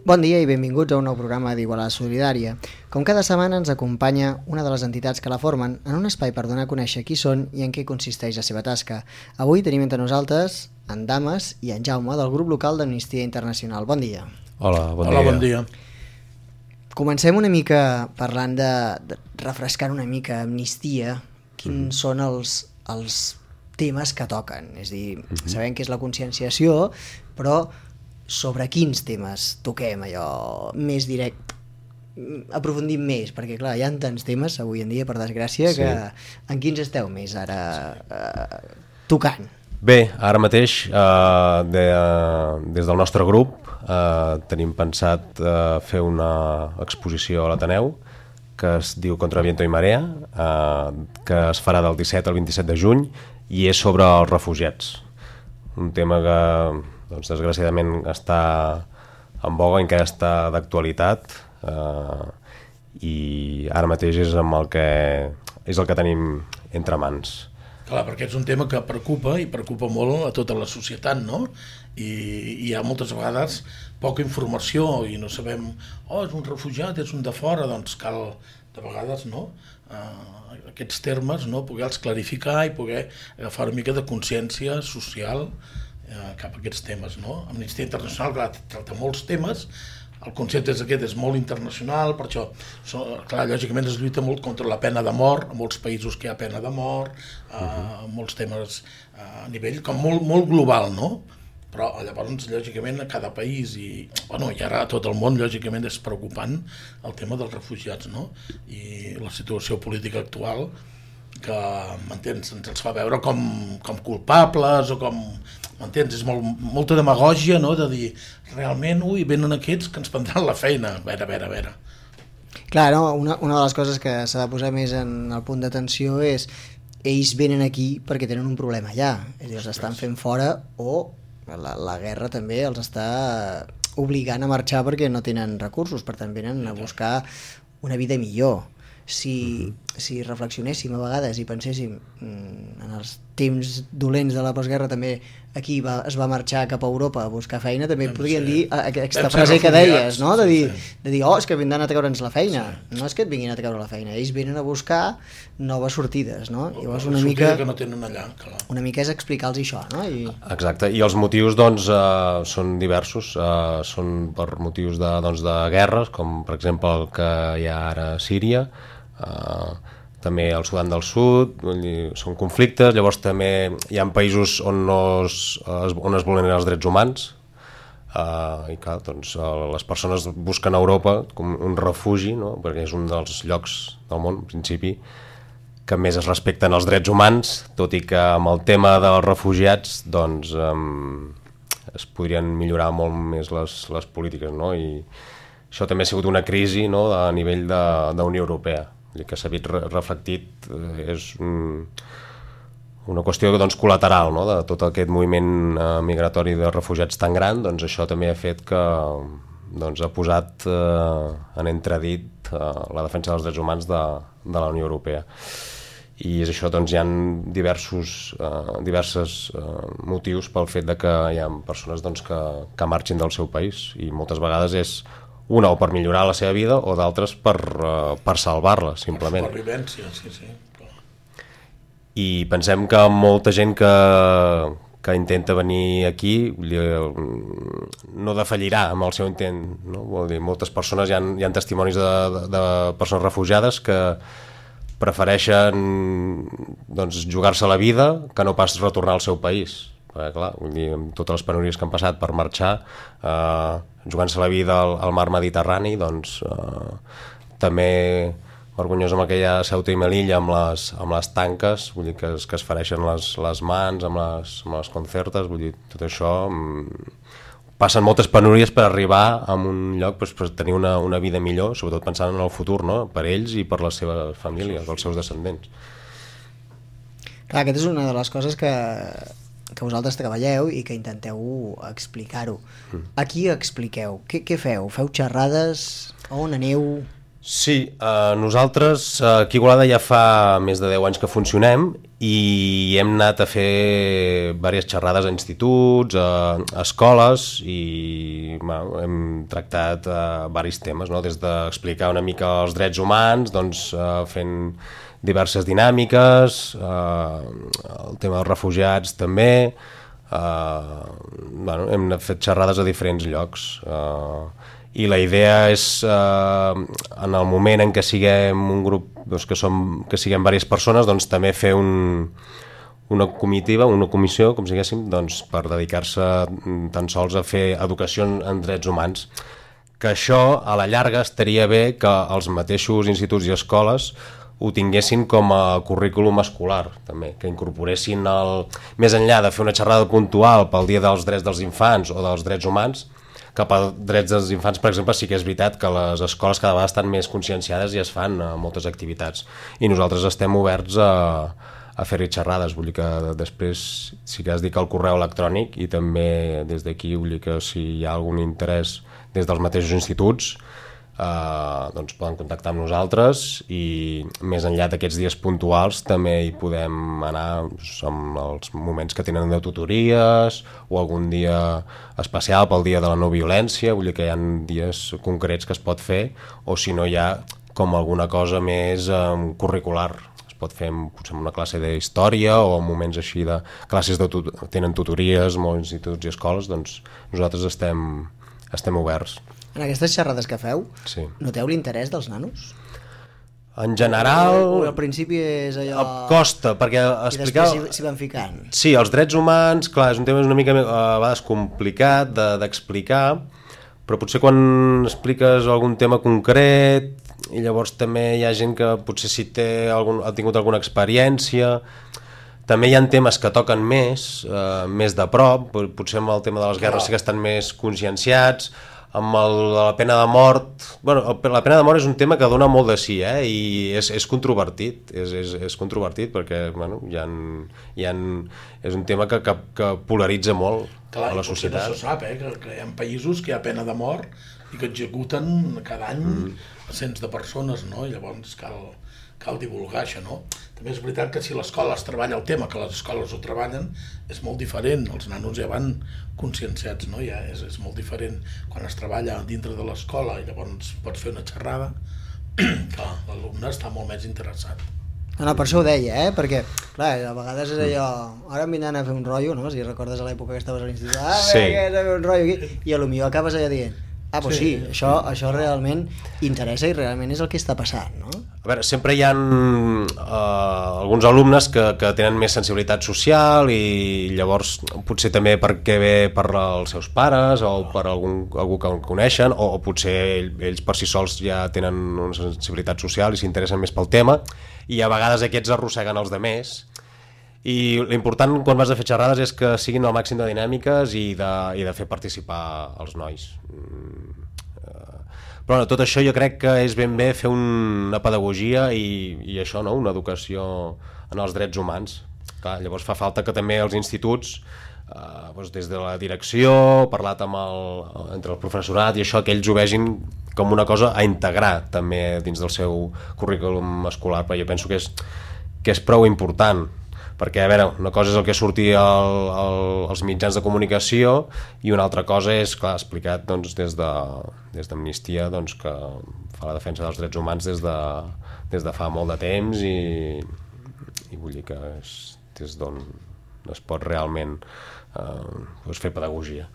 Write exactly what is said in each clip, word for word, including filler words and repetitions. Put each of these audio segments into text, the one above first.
Bon dia i benvinguts a un nou programa d'Igualada Solidària. Com cada setmana ens acompanya una de les entitats que la formen en un espai per donar a conèixer qui són i en què consisteix la seva tasca. Avui tenim entre nosaltres en Dames i en Jaume del grup local d'Amnistia Internacional. Bon dia. Hola, bon Hola, dia. bon dia. Comencem una mica parlant de, de refrescant una mica Amnistia, quins mm. són els, els temes que toquen. És a dir, mm-hmm. sabem que és la conscienciació, però sobre quins temes toquem allò més directe, aprofundim més, perquè clar, hi ha tants temes avui en dia, per desgràcia, sí. que en quins esteu més ara eh, tocant? Bé, ara mateix eh, de, des del nostre grup eh, tenim pensat eh, fer una exposició a l'Ateneu que es diu Contra viento i marea, eh, que es farà del disset al vint-i-set de juny i és sobre els refugiats, un tema que doncs, desgraciadament està en voga, encara està d'actualitat eh, i ara mateix és, amb el que, és el que tenim entre mans. Clar, perquè és un tema que preocupa i preocupa molt a tota la societat, no? I, i hi ha moltes vegades poca informació i no sabem, oh, és un refugiat, és un de fora, doncs cal, de vegades, no? Uh, aquests termes, no? Poder-los clarificar i poder agafar una mica de consciència social cap a aquests temes, no? Amnistia Internacional, clar, tracta molts temes, el concepte és aquest, és molt internacional, per això, clar, lògicament es lluita molt contra la pena de mort, a molts països que hi ha pena de mort, uh, uh-huh. molts temes uh, a nivell com molt, molt global, no? Però llavors, lògicament, a cada país i, bueno, i ara a tot el món, lògicament, és preocupant el tema dels refugiats, no? I la situació política actual que, m'entens, ens els fa veure com, com culpables o com, m'entens, és molt, molta demagògia, no?, de dir, realment, ui, venen aquests que ens prendran la feina, a veure, a veure, a veure. Clar, no? una, una de les coses que s'ha de posar més en el punt d'atenció és ells venen aquí perquè tenen un problema allà, és a dir, els estan fent fora o la, la guerra també els està obligant a marxar perquè no tenen recursos, per tant venen a buscar una vida millor. Si, uh-huh. si reflexionéssim a vegades i penséssim mm, en els temps dolents de la postguerra també aquí va, es va marxar cap a Europa a buscar feina, també Vam podríem ser, dir aquesta frase que deies, no? de, sí, dir, sí. de dir, oh, és que vindran a treure'ns la feina, sí. no és que et vinguin a treure la feina, ells venen a buscar noves sortides, no? O, Llavors o una mica, que no tenen allà, clar. una mica és explicar-los això, no? I... Exacte, i els motius doncs eh, són diversos, eh, són per motius de, doncs, de guerres, com per exemple el que hi ha ara a Síria, Uh, també al Sudan del Sud, són conflictes, llavors també hi ha països on, no es, on es vulneren els drets humans uh, i clar, doncs, uh, les persones busquen a Europa com un refugi, no? Perquè és un dels llocs del món, en principi, que més es respecten els drets humans, tot i que amb el tema dels refugiats doncs, um, es podrien millorar molt més les, les polítiques, no? I això també ha sigut una crisi, no? A nivell de, de Unió Europea, que s'ha vist reflectit, és un, una qüestió doncs, col·lateral, no? De tot aquest moviment eh, migratori de refugiats tan gran, doncs això també ha fet que doncs, ha posat eh, en entredit eh, la defensa dels drets humans de, de la Unió Europea. I és això, doncs, hi ha diversos, eh, diversos eh, motius pel fet de que hi ha persones doncs, que, que marxin del seu país i moltes vegades és una o per millorar la seva vida o d'altres per, uh, per salvar-la, simplement. Per supervivència, sí, sí. I pensem que molta gent que, que intenta venir aquí no defallirà amb el seu intent, no? Vol dir, moltes persones, hi ha, hi ha testimonis de, de, de persones refugiades que prefereixen doncs, jugar-se la vida que no pas retornar al seu país. Perquè, clar, vull dir, amb totes les penúries que han passat per marxar, eh, jugant-se la vida al, al mar Mediterrani, doncs eh, també vergonyós amb aquella Ceuta i Melilla amb les, amb les tanques, vull dir, que es, que es fereixen les, les mans amb les, amb les concertes, vull dir, tot això mm, passen moltes penúries per arribar a un lloc doncs, per tenir una, una vida millor, sobretot pensant en el futur, no? Per ells i per les seves famílies, els seus descendents. Clar, aquesta és una de les coses que que vosaltres treballeu i que intenteu explicar-ho. Mm. A qui expliqueu? Què, què feu? Feu xerrades? On aneu? Sí, eh, nosaltres eh, aquí a Igualada ja fa més de deu anys que funcionem i hem anat a fer diverses xerrades a instituts, a, a escoles i bueno, hem tractat eh, diversos temes, no? Des d'explicar una mica els drets humans, doncs, eh, fent diverses dinàmiques, eh, el tema dels refugiats també, eh, bueno, hem fet xerrades a diferents llocs. Eh, i la idea és, eh, en el moment en què siguem un grup, doncs, que, som, que siguem diverses persones, doncs també fer un, una comitiva, una comissió, com si diguéssim, doncs, per dedicar-se tan sols a fer educació en drets humans. Que això, a la llarga, estaria bé que els mateixos instituts i escoles ho tinguessin com a currículum escolar, també, que incorporessin el, més enllà de fer una xerrada puntual pel Dia dels Drets dels Infants o dels Drets Humans, cap a drets dels infants, per exemple, sí que és veritat que les escoles cada vegada estan més conscienciades i es fan uh, moltes activitats. I nosaltres estem oberts a, a fer-hi xerrades. Vull dir que després sí que has dit que el correu electrònic i també des d'aquí, vull dir que si hi ha algun interès des dels mateixos instituts, Uh, doncs poden contactar amb nosaltres i més enllà d'aquests dies puntuals també hi podem anar amb els moments que tenen de tutories o algun dia especial pel dia de la no violència, vull dir que hi ha dies concrets que es pot fer, o si no hi ha com alguna cosa més um, curricular, es pot fer potser una classe d'història o en moments així de classes de tut tenen tutories, molts instituts i escoles, doncs nosaltres estem, estem oberts. En aquestes xerrades que feu, sí. Noteu l'interès dels nanos? En general... O al principi és allò... Costa, perquè explicar... I després s'hi van ficant. Sí, els drets humans, clar, és un tema una mica a vegades complicat d'explicar, però potser quan expliques algun tema concret i llavors també hi ha gent que potser si té algun, ha tingut alguna experiència... També hi ha temes que toquen més, eh, més de prop, potser amb el tema de les guerres sí que estan més conscienciats, amb el, la pena de mort... Bueno, la pena de mort és un tema que dona molt de sí, eh? I és, és controvertit, és, és, és controvertit perquè bueno, hi ha, hi ha, és un tema que, que, que polaritza molt. Clar, a la societat. No se sap, eh? que, que hi ha països que hi ha pena de mort i que executen cada any mm. cents de persones, no? I llavors cal, cal divulgar això, no? També és veritat que si l'escola es treballa el tema, que les escoles ho treballen, és molt diferent, els nanos ja van conscienciats, no? Ja és, és molt diferent quan es treballa dintre de l'escola i llavors pots fer una xerrada, que l'alumne està molt més interessat. No, no, per això ho deia, eh? Perquè, clar, a vegades és allò... Ara em vindran a fer un rotllo, no? Si recordes a l'època que estaves a l'institut, ah, sí. Vinga, a fer un rotllo aquí, i potser acabes allà dient, ah, doncs sí, sí, això, això realment interessa i realment és el que està passant, no? A veure, sempre hi ha uh, alguns alumnes que, que tenen més sensibilitat social i llavors potser també perquè ve per els seus pares o per algun, algú que coneixen o, o potser ells per si sols ja tenen una sensibilitat social i s'interessen més pel tema i a vegades aquests arrosseguen els demés. I l'important quan vas a fer xerrades és que siguin el màxim de dinàmiques i de, i de fer participar els nois. Però bueno, tot això jo crec que és ben bé fer un, una pedagogia i, i això, no? Una educació en els drets humans. Clar, llavors fa falta que també els instituts, eh, doncs des de la direcció, parlat amb el, entre el professorat i això, que ells ho vegin com una cosa a integrar també dins del seu currículum escolar, però jo penso que és, que és prou important. Perquè, a veure, una cosa és el que surti al, al, als mitjans de comunicació i una altra cosa és, clar, explicat doncs, des de, des d'Amnistia doncs, que fa la defensa dels drets humans des de, des de fa molt de temps i, i vull dir que és des d'on es pot realment eh, doncs fer pedagogia.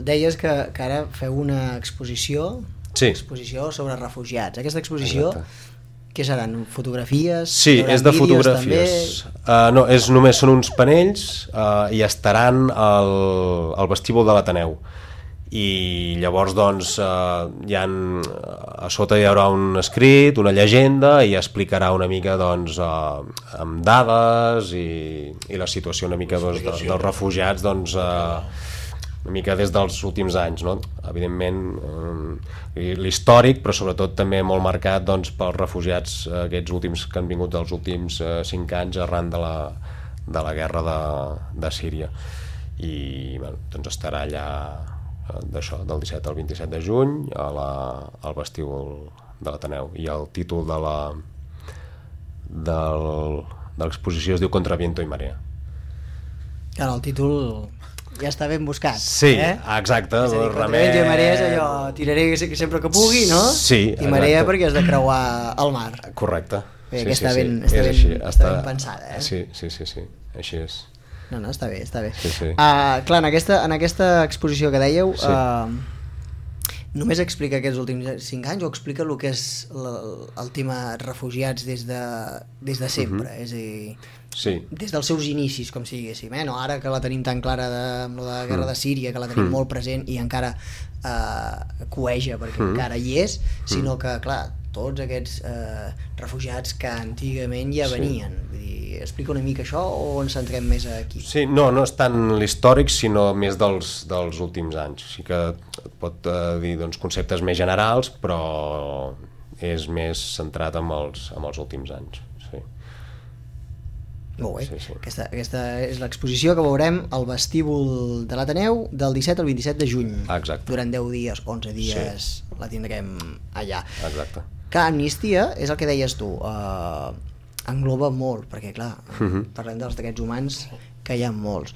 Deies que, que ara feu una exposició, sí. exposició sobre refugiats. Aquesta exposició... Exacte. Què seran? Fotografies? Sí, és de fotografies. Uh, no, és només són uns panells uh, i estaran al, al vestíbul de l'Ateneu. I llavors, doncs, uh, hi ha, a sota hi haurà un escrit, una llegenda, i explicarà una mica, doncs, uh, amb dades i, i la situació una mica doncs, de, dels refugiats, doncs, uh, una mica des dels últims anys, no? Evidentment eh, l'històric, però sobretot també molt marcat doncs, pels refugiats eh, aquests últims que han vingut dels últims eh, cinc anys arran de la, de la guerra de, de Síria i bueno, doncs estarà allà d'això, del disset al vint-i-set de juny a la, al vestíbul de l'Ateneu, i el títol de la del, de l'exposició es diu Contra viento y marea. Claro, el títol ja està ben buscat. Sí, eh? exacte. És a dir, Contra viento y marea és allò, tiraré sempre que pugui, no? Sí, i marea perquè has de creuar el mar. Correcte. Bé, sí, que sí, està, sí. ben, està, ben, així, està, està ben pensada, eh? Sí, sí, sí, sí, així és. No, no, està bé, està bé. Sí, sí. Uh, clar, en aquesta, en aquesta exposició que dèieu, Sí. uh, només explica aquests últims cinc anys o explica el que és el, el tema refugiats des de, des de sempre? Uh -huh. És a dir, sí. des dels seus inicis, com si diguéssim, eh? No, ara que la tenim tan clara de, amb la guerra de Síria, que la tenim Mm. molt present i encara eh, coeja perquè Mm. encara hi és, sinó que, clar, tots aquests eh, refugiats que antigament ja Sí. venien. Vull dir, explica una mica això o ens centrem més aquí? Sí, no, no és tant l'històric, sinó més dels, dels últims anys. Sí que et pot eh, dir doncs, conceptes més generals, però és més centrat en els, en els últims anys. Sí. Molt bé. Sí, sí. Aquesta, aquesta és l'exposició que veurem al vestíbul de l'Ateneu del disset al vint-i-set de juny. Exacte. Durant deu dies, onze dies, sí. La tindrem allà. Exacte. Que Amnistia, és el que deies tu, eh, engloba molt, perquè clar, uh -huh. parlem dels drets humans, que hi ha molts.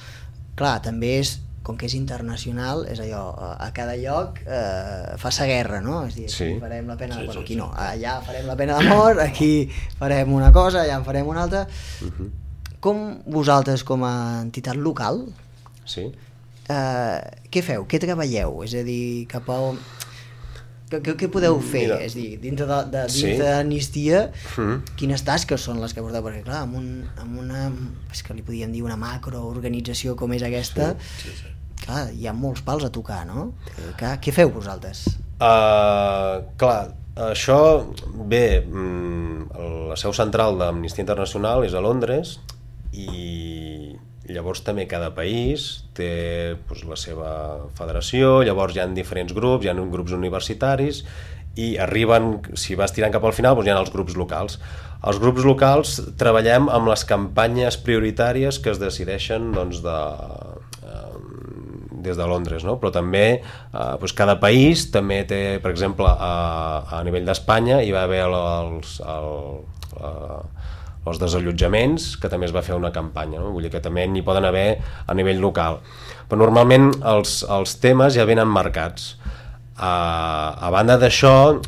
Clar, també és, com que és internacional, és allò, a cada lloc eh, fa-se guerra, no? És a dir, aquí Sí. farem la pena de... Sí, Bueno, sí, aquí sí. no, allà farem la pena de mort, aquí farem una cosa, allà en farem una altra. Uh -huh. Com vosaltres, com a entitat local, Sí. eh, què feu? Què treballeu? És a dir, cap a on... Què, què, què podeu fer? Mira. És a dir, dintre de, de, Sí. dintre d'Amnistia, Mm. quines tasques són les que porteu? Perquè clar, amb, un, amb una, és que li podíem dir una macroorganització com és aquesta, Sí, sí. clar, hi ha molts pals a tocar, no? Clar, què feu vosaltres? Uh, clar, això, bé, mm, la seu central d'Amnistia Internacional és a Londres, i llavors també cada país té doncs, la seva federació, llavors hi ha diferents grups, hi ha grups universitaris, i arriben, si vas tirant cap al final, doncs hi ha els grups locals. Els grups locals treballem amb les campanyes prioritàries que es decideixen doncs, de, eh, des de Londres, no? Però també eh, doncs cada país també té, per exemple, a, a nivell d'Espanya hi va haver els, el, el, els desallotjaments, que també es va fer una campanya, no? Vull dir que també n'hi poden haver a nivell local. Però normalment els, els temes ja venen marcats. A, a banda d'això,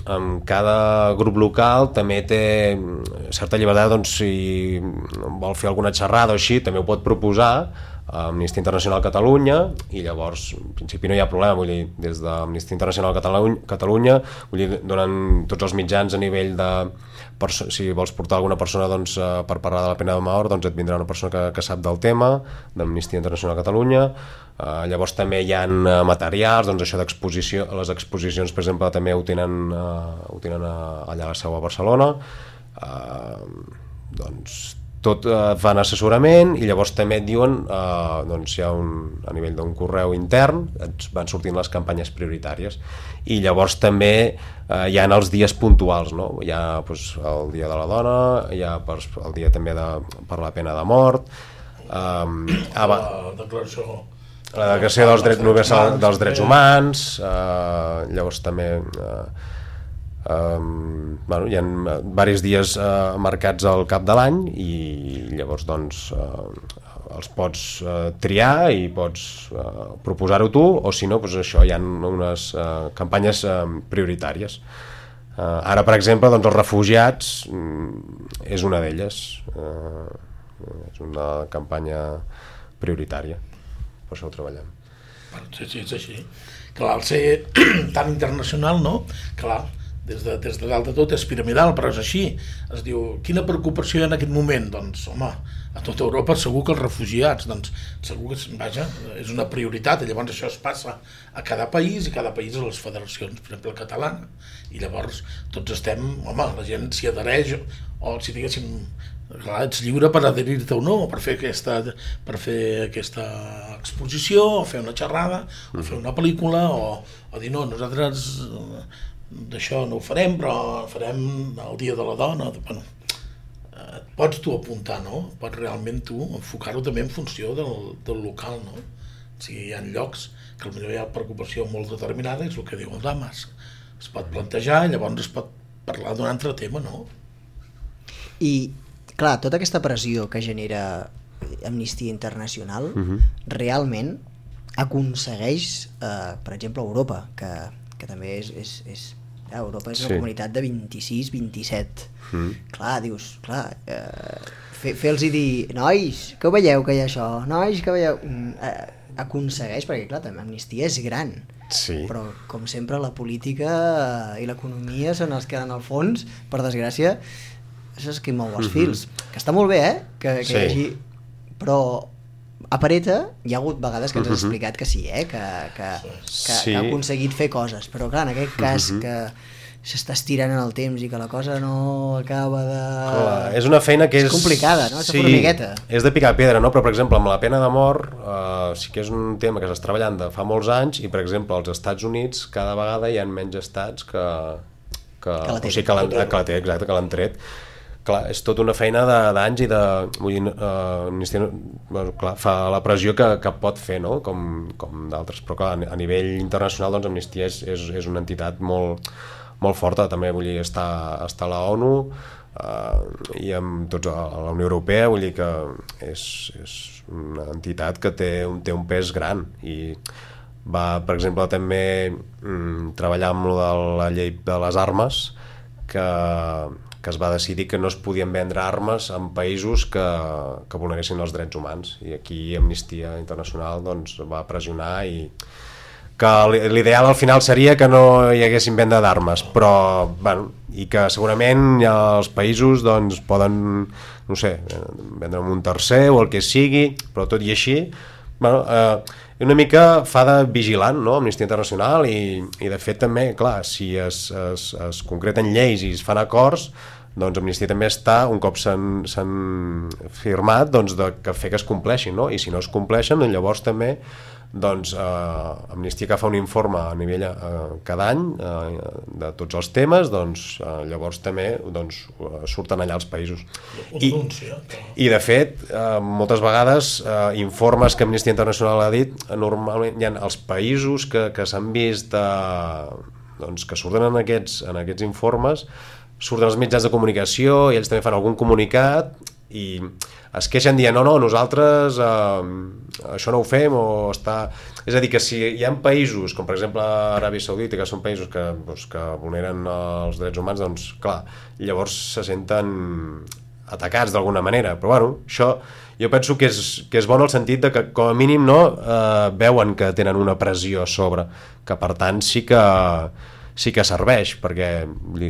cada grup local també té certa llibertat, doncs, si vol fer alguna xerrada o així, també ho pot proposar a Amnistia Internacional Catalunya, i llavors en principi no hi ha problema. Vull dir, des d'Amnistia Internacional Catalunya, Catalunya vull dir, donen tots els mitjans a nivell de... si vols portar alguna persona doncs, per parlar de la pena de mort, doncs et vindrà una persona que, que sap del tema d'Amnistia Internacional Catalunya. Uh, llavors també hi ha uh, materials, doncs això d'exposició, les exposicions per exemple també ho tenen, uh, ho tenen uh, allà a la seu a Barcelona. Uh, doncs tot uh, fan assessorament, i llavors també et diuen uh, doncs hi ha un, a nivell d'un correu intern et van sortint les campanyes prioritàries, i llavors també uh, hi ha els dies puntuals, no? Hi ha doncs, el dia de la dona, hi ha per, el dia també de, per la pena de mort, um, la declaració la declaració dels drets universals dels drets humans, eh, llavors també eh, eh, bueno, hi ha diversos dies eh, marcats al cap de l'any, i llavors doncs eh, els pots eh, triar i pots eh, proposar-ho tu, o si no, doncs això, hi ha unes eh, campanyes eh, prioritàries. Eh, ara, per exemple, doncs els refugiats mm, és una d'elles, eh, és una campanya prioritària. Per això ho treballem. Sí, sí, és així. Clar, al ser tan internacional, no? Clar, des de, des de dalt de tot és piramidal, però és així. Es diu, quina preocupació hi ha en aquest moment? Doncs, home, a tota Europa segur que els refugiats, doncs, segur que, vaja, és una prioritat, i llavors això es passa a cada país, i cada país a les federacions, per exemple, catalana, i llavors tots estem, home, la gent s'hi adhereix, o si diguéssim, clar, ets lliure per adherir-te o no, per fer aquesta, per fer aquesta exposició, o fer una xerrada, o fer una pel·lícula, o, o dir no, nosaltres d'això no ho farem, però farem el dia de la dona. Bueno, et pots tu apuntar, no? Pots realment tu enfocar-ho també en funció del, del local, no? O sigui, hi ha llocs que potser hi ha preocupació molt determinada, és el que diu el Damas. Es pot plantejar i llavors es pot parlar d'un altre tema, no? I, clar, tota aquesta pressió que genera Amnistia Internacional Uh-huh. realment aconsegueix, eh, per exemple, Europa, que, que també és... és, és eh, Europa és una Sí. comunitat de vint-i-sis vint-i-set. Mm. Clar, dius, clar, eh, fer, fer-los dir, nois, que ho veieu que hi ha això? Nois, que veieu? Mm, eh, aconsegueix, perquè clar, també Amnistia és gran. Sí. Però, com sempre, la política i l'economia són els que en el fons, per desgràcia, això és qui mou els fils. Que està molt bé, eh? Que, que Sí. hi hagi... Però a pareta hi ha hagut vegades que ens has Mhm. explicat que sí, eh? Que, que, que, Sí. que ha aconseguit fer coses. Però clar, en aquest cas Mhm. que s'està estirant en el temps i que la cosa no acaba de... Clar, és una feina que és... És complicada, no? És formigueta. És de picar pedra, no? Però, per exemple, amb la pena de mort eh, sí que és un tema que s'està treballant de fa molts anys i, per exemple, als Estats Units cada vegada hi ha menys estats que, que, Que la o sigui, tenen. que l'han que la té, exacte, que l'han tret. Clar, és tota una feina de- d'anys i de... Vull dir, eh, Amnistia, bueno, clar, fa la pressió que, que pot fer, no? Com, com d'altres, però clar, a nivell internacional doncs Amnistia és, és, és una entitat molt, molt forta, també vull dir, està, està a la ONU eh, i amb tots a la Unió Europea, vull dir que és, és una entitat que té un, té un pes gran i va, per exemple, també mm, treballar amb lo de la llei de les armes que, que es va decidir que no es podien vendre armes en països que, que vulneressin els drets humans i aquí Amnistia Internacional doncs, va pressionar i que l'ideal al final seria que no hi haguessin venda d'armes, però bueno, i que segurament ja els països doncs, poden, no sé, vendre un tercer o el que sigui, però tot i així bueno, eh, una mica fa de vigilant, no? Amnistia Internacional i, i de fet també, clar, si es, es, es concreten lleis i es fan acords doncs Amnistia també està, un cop s'han firmat, doncs de que fer que es compleixin, no? I si no es compleixen, doncs llavors també doncs eh, Amnistia que fa un informe a nivell eh, cada any eh, de tots els temes, doncs eh, llavors també doncs, eh, surten allà els països. I, i de fet, eh, moltes vegades eh, informes que Amnistia Internacional ha dit, eh, normalment hi ha els països que, que s'han vist eh, doncs, que surten en aquests, en aquests informes, surten els mitjans de comunicació i ells també fan algun comunicat i es queixen dient no, no, nosaltres eh, això no ho fem o està... És a dir, que si hi ha països com per exemple Aràbia Saudita, que són països que, doncs, que vulneren els drets humans, doncs clar, llavors se senten atacats d'alguna manera, però bueno, això jo penso que és, que és bon el sentit de que com a mínim no eh, veuen que tenen una pressió a sobre, que per tant sí que sí que serveix, perquè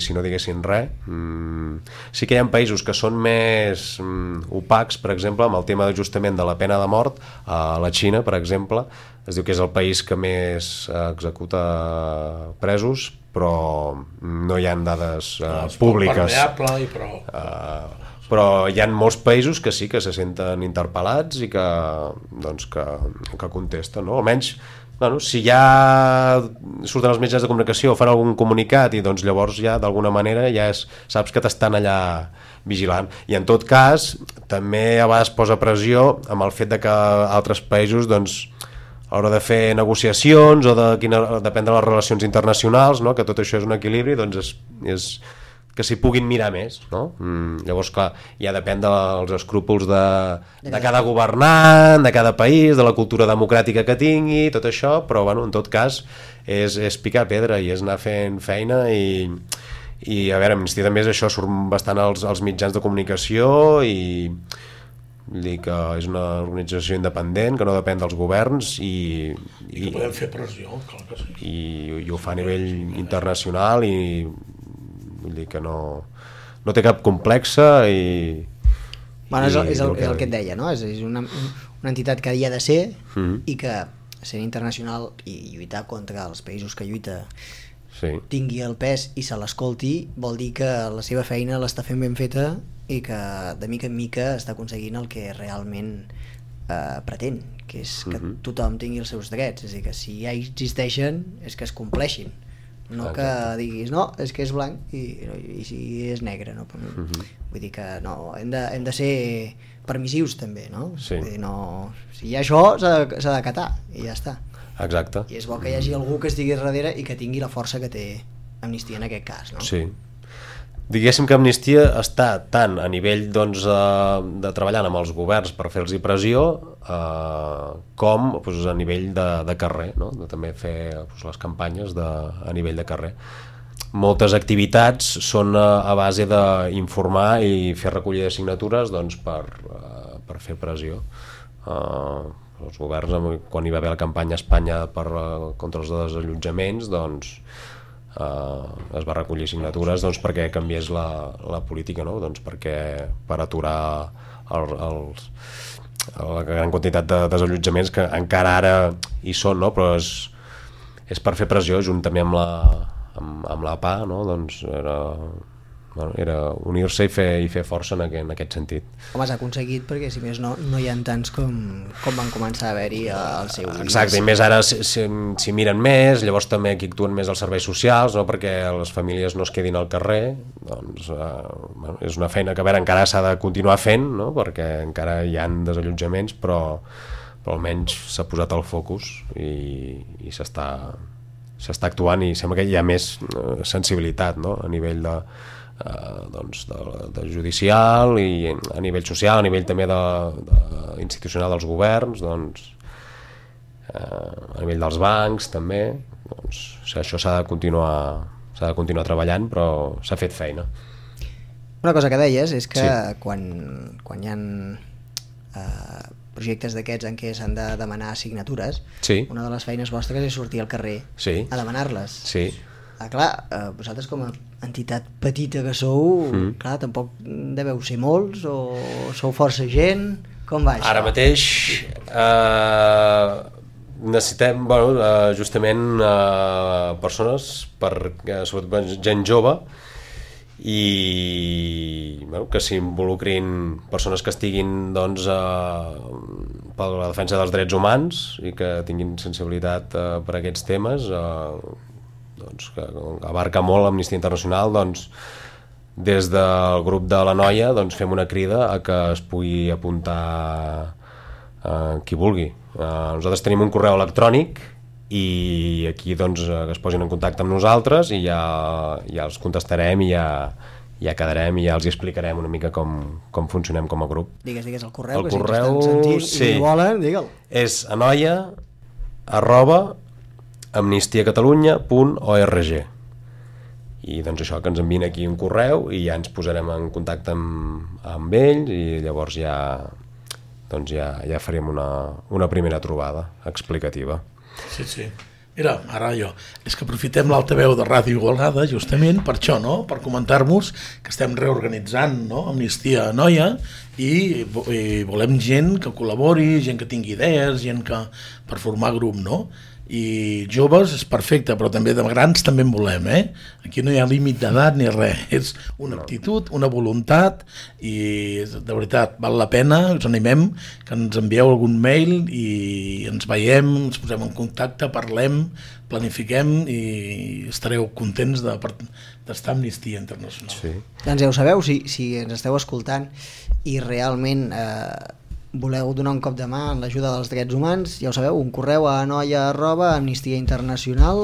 si no diguessin res, mmm, sí que hi ha països que són més mm, opacs, per exemple, amb el tema justament de la pena de mort, a la Xina, per exemple, es diu que és el país que més executa presos, però no hi ha dades eh, no, públiques. I prou. Uh, però hi ha molts països que sí que se senten interpel·lats i que, doncs, que, que contesten, no? Almenys bueno, si ja surten els mitjans de comunicació o fan algun comunicat i doncs llavors ja d'alguna manera ja és, saps que t'estan allà vigilant i en tot cas també a vegades posa pressió amb el fet de que altres països doncs a l'hora de fer negociacions o de quina, depèn de les relacions internacionals, no? Que tot això és un equilibri, doncs és, és que s'hi puguin mirar més, no? Mm, llavors, clar, ja depèn dels escrúpols de, de cada governant, de cada país, de la cultura democràtica que tingui, tot això, però, bueno, en tot cas, és, és picar pedra i és anar fent feina i, i a veure, Amnistia també és això, surt bastant als, als mitjans de comunicació i vull dir que és una organització independent, que no depèn dels governs i... I que podem fer pressió, clar que sí. I, i ho fa a nivell internacional i vull dir que no, no té cap complexa i... Bueno, és, el, i, és, el, el és el que et deia, no? És, és una, una entitat que hi ha de ser mm-hmm. i que sent internacional i lluitar contra els països que lluita sí. tingui el pes i se l'escolti, vol dir que la seva feina l'està fent ben feta i que de mica en mica està aconseguint el que realment eh, pretén, que és que mm-hmm. tothom tingui els seus drets, és a dir, que si ja existeixen és que es compleixin. no que diguis no, és que és blanc i, i si és negre, no? Uh-huh. Vull dir que no, hem de, hem de ser permissius també, no? Sí. Vull dir, no, si hi ha això s'ha de, s'ha d'acatar i ja està. Exacte. I és bo que hi hagi algú que estigui darrere i que tingui la força que té Amnistia en aquest cas, no? Sí. Diguéssim que Amnistia està tant a nivell doncs, de treballant amb els governs per fer-los pressió eh, com doncs, a nivell de, de carrer, no? De també fer doncs, les campanyes de, a nivell de carrer. Moltes activitats són a, a base d'informar i fer recollida de signatures doncs, per, uh, per fer pressió. Uh, els governs, quan hi va haver la campanya a Espanya per, uh, contra els desallotjaments, doncs, uh, es va recollir signatures doncs, perquè canviés la, la política, no? Doncs perquè per aturar el, els, la gran quantitat de desallotjaments que encara ara hi són, no? Però és, és per fer pressió juntament amb la amb, amb la P A, no? Doncs era, bueno, era unir-se i fer, i fer força en aquest, en aquest sentit. Home, s'ha aconseguit perquè si més no, no hi ha tants com, com van començar a haver-hi al seu dia. Exacte, i més ara s'hi si, si miren més, llavors també aquí actuen més els serveis socials, no? Perquè les famílies no es quedin al carrer, doncs eh, bueno, és una feina que a veure, encara s'ha de continuar fent, no? Perquè encara hi ha desallotjaments, però, però almenys s'ha posat el focus i, i s'està s'està actuant i sembla que hi ha més eh, sensibilitat, no? A nivell de, eh, doncs de, de judicial i a nivell social, a nivell també de, de institucional dels governs, doncs, eh, a nivell dels bancs també, doncs, o sigui, això s'ha de continuar s'ha de continuar treballant, però s'ha fet feina. Una cosa que deies és que sí. quan, quan hi ha eh, projectes d'aquests en què s'han de demanar signatures, sí. una de les feines vostres és sortir al carrer sí. a demanar-les. Sí. Ah, clar, eh, vosaltres com a entitat petita que sou, mm. clar, tampoc deveu ser molts o sou força gent, com va això? Ara mateix eh, necessitem, bueno, eh, justament eh, persones, per, eh, sobretot gent jove, i bueno, que s'involucrin persones que estiguin doncs, eh, per la defensa dels drets humans i que tinguin sensibilitat eh, per aquests temes, eh, doncs, que abarca molt l'Amnistia Internacional, doncs, des del grup de la Noia doncs, fem una crida a que es pugui apuntar eh, qui vulgui. Eh, nosaltres tenim un correu electrònic i aquí doncs, que es posin en contacte amb nosaltres i ja, ja els contestarem i ja, ja quedarem i ja els explicarem una mica com, com funcionem com a grup. Digues, digues el correu, el que correu, si t'estan sentint sí. i volen, digue'l. És anoia arroba amnistiacatalunya punt org i doncs això, que ens envien aquí un correu i ja ens posarem en contacte amb, amb ells i llavors ja, doncs ja, ja farem una, una primera trobada explicativa. Sí, sí. Mira, ara jo, és que aprofitem l'altaveu de Ràdio Igualada justament per això, no? Per comentar-vos que estem reorganitzant, no? Amnistia Noia i, i volem gent que col·labori, gent que tingui idees, gent que per formar grup, no? I joves és perfecte, però també de grans també en volem, eh? Aquí no hi ha límit d'edat ni res, és una actitud, una voluntat i de veritat val la pena, us animem que ens envieu algun mail i ens veiem, ens posem en contacte, parlem, planifiquem i estareu contents de, d'estar a Amnistia Internacional. Sí. Doncs ja ho sabeu, si, si ens esteu escoltant i realment eh, voleu donar un cop de mà en l'ajuda dels drets humans, ja ho sabeu, un correu a anoia arroba amnistiainternacional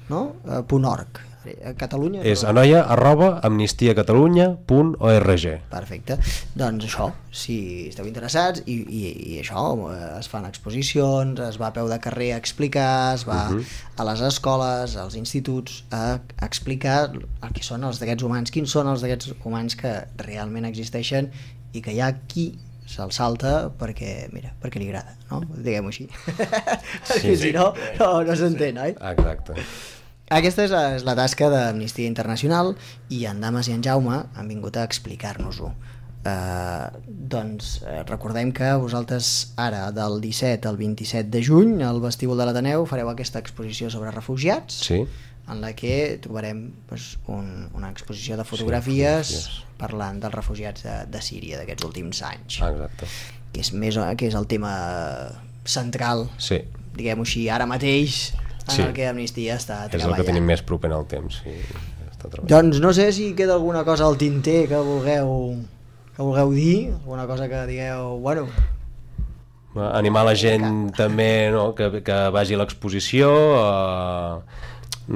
no? eh, punt org. A Catalunya? És anoia arroba amnistiacatalunya punt org. Perfecte. Doncs això, si esteu interessats i, i, i això, es fan exposicions, es va a peu de carrer a explicar, es va uh-huh. a les escoles, als instituts a explicar el que són els drets humans, quins són els drets humans que realment existeixen i que hi ha qui se'l salta perquè, mira, perquè li agrada, no? Diguem-ho així. Perquè si no, no, no s'entén, oi? Exacte. Aquesta és, és la tasca d'Amnistia Internacional i en Dames i en Jaume han vingut a explicar-nos-ho. Eh, doncs eh, recordem que vosaltres ara del disset al vint-i-set de juny al vestíbul de l'Ateneu fareu aquesta exposició sobre refugiats, sí. en la que trobarem pues, un, una exposició de fotografies, sí, fotografies parlant dels refugiats de, de Síria d'aquests últims anys. Exacte. Que és, més, que és el tema central, sí. diguem-ho així, ara mateix en Sí. el que Amnistia està És el treballant. que tenim més proper en el temps, sí. Està treballant. Doncs no sé si queda alguna cosa al tinter que vulgueu, que vulgueu dir, alguna cosa que digueu, bueno... Animar la gent també, no?, que, que vagi a l'exposició. Eh,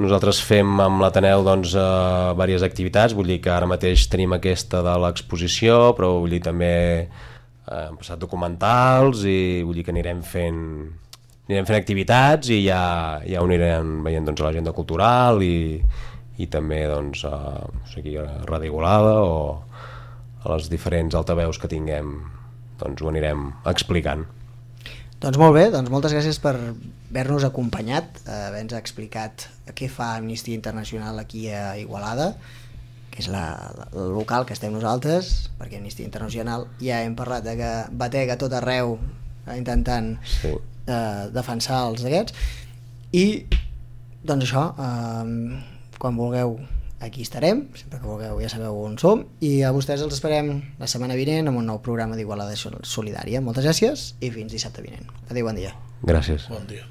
nosaltres fem amb l'Ateneu doncs, eh, diverses activitats, vull dir que ara mateix tenim aquesta de l'exposició, però vull dir també eh, hem passat documentals i vull dir que anirem fent anirem fent activitats i ja, ja ho anirem veient doncs, a l'agenda cultural i, i també doncs, a, no sé, aquí a Ràdio Igualada o a les diferents altaveus que tinguem, doncs ho anirem explicant. Doncs molt bé, doncs moltes gràcies per haver-nos acompanyat, eh, haver-nos explicat què fa Amnistia Internacional aquí a Igualada, que és la, la, el local que estem nosaltres, perquè Amnistia Internacional ja hem parlat de que batega a tot arreu eh, intentant Sí. eh, defensar els d'aquests, i doncs això, eh, quan vulgueu aquí estarem, sempre que vulgueu ja sabeu on som, i a vostès els esperem la setmana vinent amb un nou programa d'Igualada Solidària. Moltes gràcies i fins dissabte vinent. Adéu, bon dia. Gràcies. Bon dia.